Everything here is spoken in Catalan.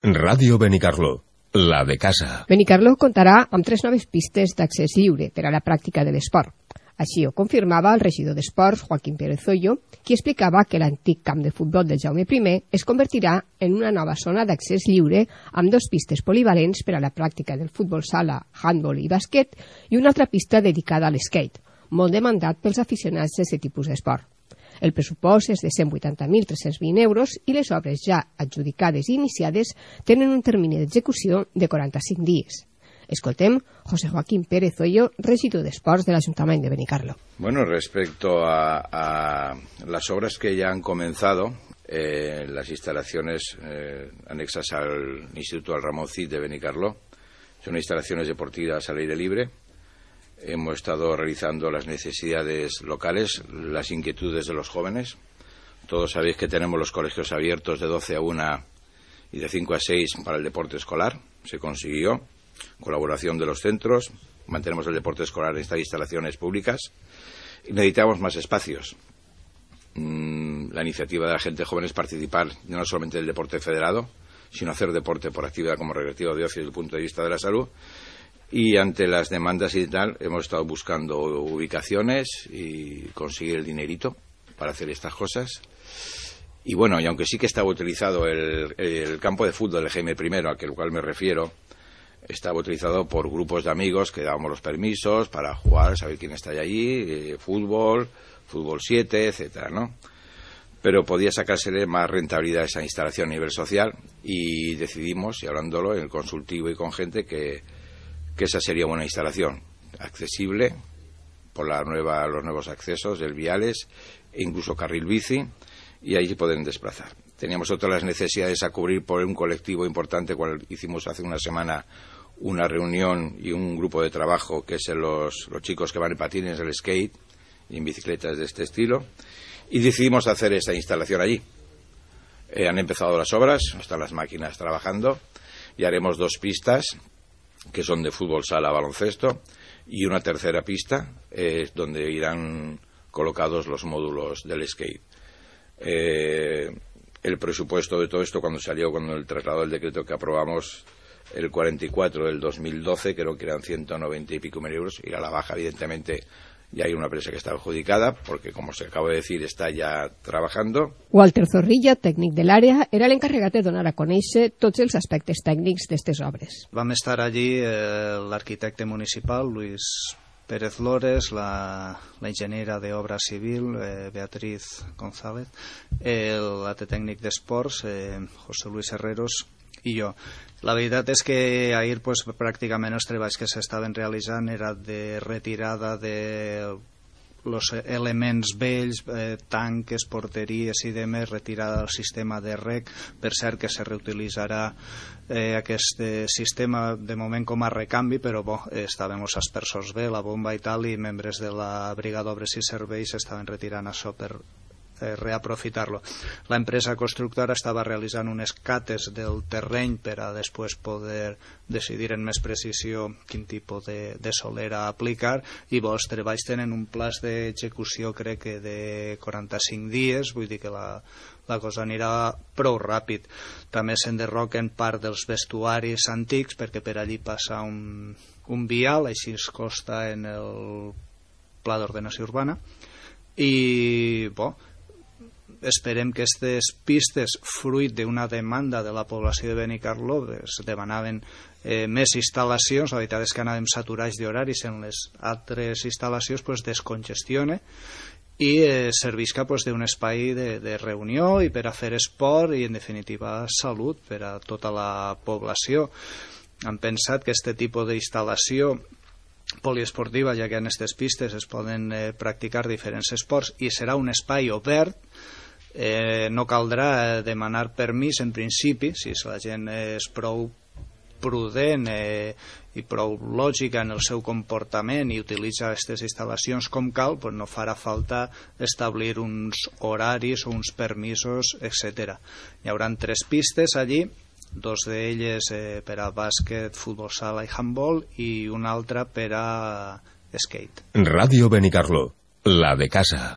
Ràdio Benicarló, la de casa. Benicarló comptarà amb 3 noves pistes d'accés lliure per a la pràctica de l'esport. Així ho confirmava el regidor d'Esports, Joaquín Pérez Zoyo, qui explicava que l'antic camp de futbol del Jaume I es convertirà en una nova zona d'accés lliure amb 2 pistes polivalents per a la pràctica del futbol sala, handball i bàsquet i una altra pista dedicada a l'skate, molt demandat pels aficionats d'aquest tipus d'esport. El pressupost és de 180.320 euros i les obres ja adjudicades i iniciades tenen un termini d'execució de 45 dies. Escoltem José Joaquín Pérez Zoyo, regidor d'Esports de l'Ajuntament de Benicarló. Bueno, respecto a las obras que ya han comenzado, las instalaciones anexas al Instituto Al Ramón Cid de Benicarló, son instalaciones deportivas al aire libre. Hemos estado realizando las necesidades locales, las inquietudes de los jóvenes. Todos sabéis que tenemos los colegios abiertos de 12 a 1 y de 5 a 6 para el deporte escolar. Se consiguió. Colaboración de los centros. Mantenemos el deporte escolar en estas instalaciones públicas. Y necesitamos más espacios. La iniciativa de la gente joven es participar no solamente del deporte federado, sino hacer deporte por actividad como recreativo de ocio desde el punto de vista de la salud. Y ante las demandas y tal, hemos estado buscando ubicaciones y conseguir el dinerito para hacer estas cosas. Y bueno, y aunque sí que estaba utilizado el campo de fútbol del Jaime I, al cual me refiero, estaba utilizado por grupos de amigos que dábamos los permisos para jugar, saber quién está allí, fútbol 7, etcétera, ¿no? Pero podía sacársele más rentabilidad a esa instalación a nivel social y decidimos, y hablándolo en el consultivo y con gente, que esa sería una instalación accesible por los nuevos accesos del viales e incluso carril bici, y ahí se pueden desplazar. Teníamos otras necesidades a cubrir por un colectivo importante, cual hicimos hace una semana una reunión y un grupo de trabajo que es los chicos que van en patines, el skate y en bicicletas de este estilo, y decidimos hacer esta instalación allí. Han empezado las obras, están las máquinas trabajando y haremos 2 pistas que son de fútbol sala, baloncesto, y una tercera pista donde irán colocados los módulos del skate. El presupuesto de todo esto, cuando el traslado del decreto que aprobamos el 44 del 2012, creo que eran 190 y pico mil euros, y a la baja, evidentemente, ya hay una empresa que está adjudicada, porque, como se acaba de decir, está ya trabajando. Walter Zorrilla, tècnic de l'àrea, era l'encarregat de donar a conèixer tots els aspectes tècnics d'aquestes obres. Vam estar allí l'arquitecte municipal, Luis Pérez Lores, la ingeniera de obra civil, Beatriz González, l'altre tècnic d'esports, José Luis Herreros, i jo. La veritat és que ahir pues, pràcticament els treballs que s'estaven realitzant era de retirada de els elements vells, tanques, porteries i demés, retirada del sistema de rec. Per cert que se reutilitzarà aquest sistema de moment com a recanvi, però estaven els aspersors bé, la bomba i tal, i membres de la Brigada d'Obres i Serveis estaven retirant això per reaprofitar-lo. La empresa constructora estava realitzant unes cates del terreny per a després poder decidir en més precisió quin tipus de solera aplicar, i els treballs tenen un plaç d'execució crec que de 45 dies, vull dir que la cosa anirà prou ràpid. També s'enderroquen part dels vestuaris antics perquè per allí passa un vial, així es consta en el Pla d'Ordenació Urbana, i esperem que aquestes pistes, fruit d'una demanda de la població de Benicarló, es demanaven més instal·lacions, la veritat és que anàvem saturats d'horaris en les altres instal·lacions, descongestione i servisca d'un espai de reunió i per a fer esport i en definitiva salut per a tota la població. Han pensat que aquest tipus d'instal·lació poliesportiva, ja que en aquestes pistes es poden practicar diferents esports i serà un espai obert, no caldrà demanar permís en principi, si la gent és prou prudent i prou lògica en el seu comportament i utilitza aquestes instal·lacions com cal, no farà falta establir uns horaris o uns permisos, etc. Hi haurà 3 pistes allí, 2 d'elles per a bàsquet, futbol sala i handball i una altra per a skate. Ràdio Benicarló, la de casa.